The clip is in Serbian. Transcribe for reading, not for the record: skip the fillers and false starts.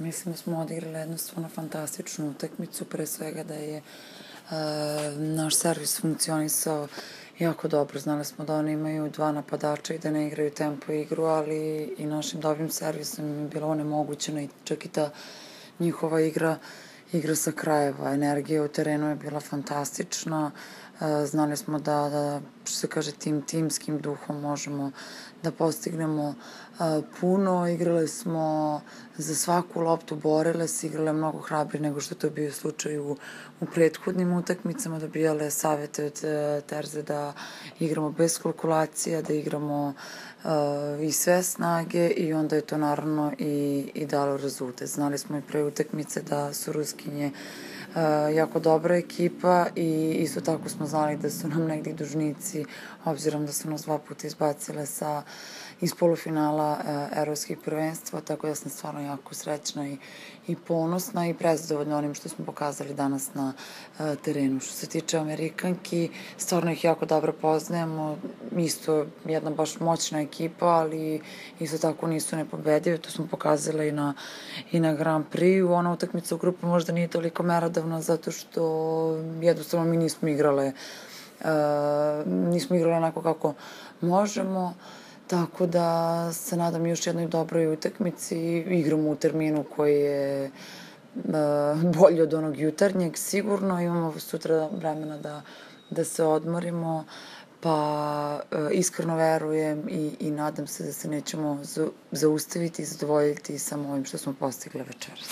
Mislim da smo odigrali jednu stvarno fantastičnu utakmicu, pre svega da je naš servis funkcionisao jako dobro. Znali smo da oni imaju dva napadača i da ne igraju tempo igru, ali i našim dobrim servisom je bilo onemogućeno i čak i ta njihova igra sa krajeva. Energija u terenu je bila fantastična. Znali smo da što se kaže, timskim duhom možemo da postignemo puno. Igrale smo za svaku loptu, borile se, igrale mnogo hrabrije nego što to bio slučaj u prethodnim utakmicama, dobijale savete od Terze da igramo bez kalkulacija, da igramo i sve snage i onda je to naravno i dalo rezultat. Znali smo i pre utakmice da su Ruskinje jako dobra ekipa i isto tako smo znali da su nam negdje dužnici, obzirom da su nas 2 puta izbacile iz polufinala evropskih prvenstva, tako da sam stvarno jako srećna i ponosna i prezadovoljna onim što smo pokazali danas na terenu. Što se tiče Amerikanki, stvarno ih jako dobro poznajemo, isto jedna baš moćna ekipa, ali isto tako nisu nepobedive, to smo pokazali i na Grand Prix. Ona utakmica u grupu možda nije toliko merodavna zato što jednostavno mi nismo igrale onako kako možemo, tako da se nadam još jednoj dobroj utakmici. Igramo u terminu koji je bolji od onog jutarnjeg, sigurno. Imamo sutra vremena da se odmorimo, pa iskreno verujem i nadam se da se nećemo zaustaviti i zadovoljiti samo ovim što smo postigli večeras.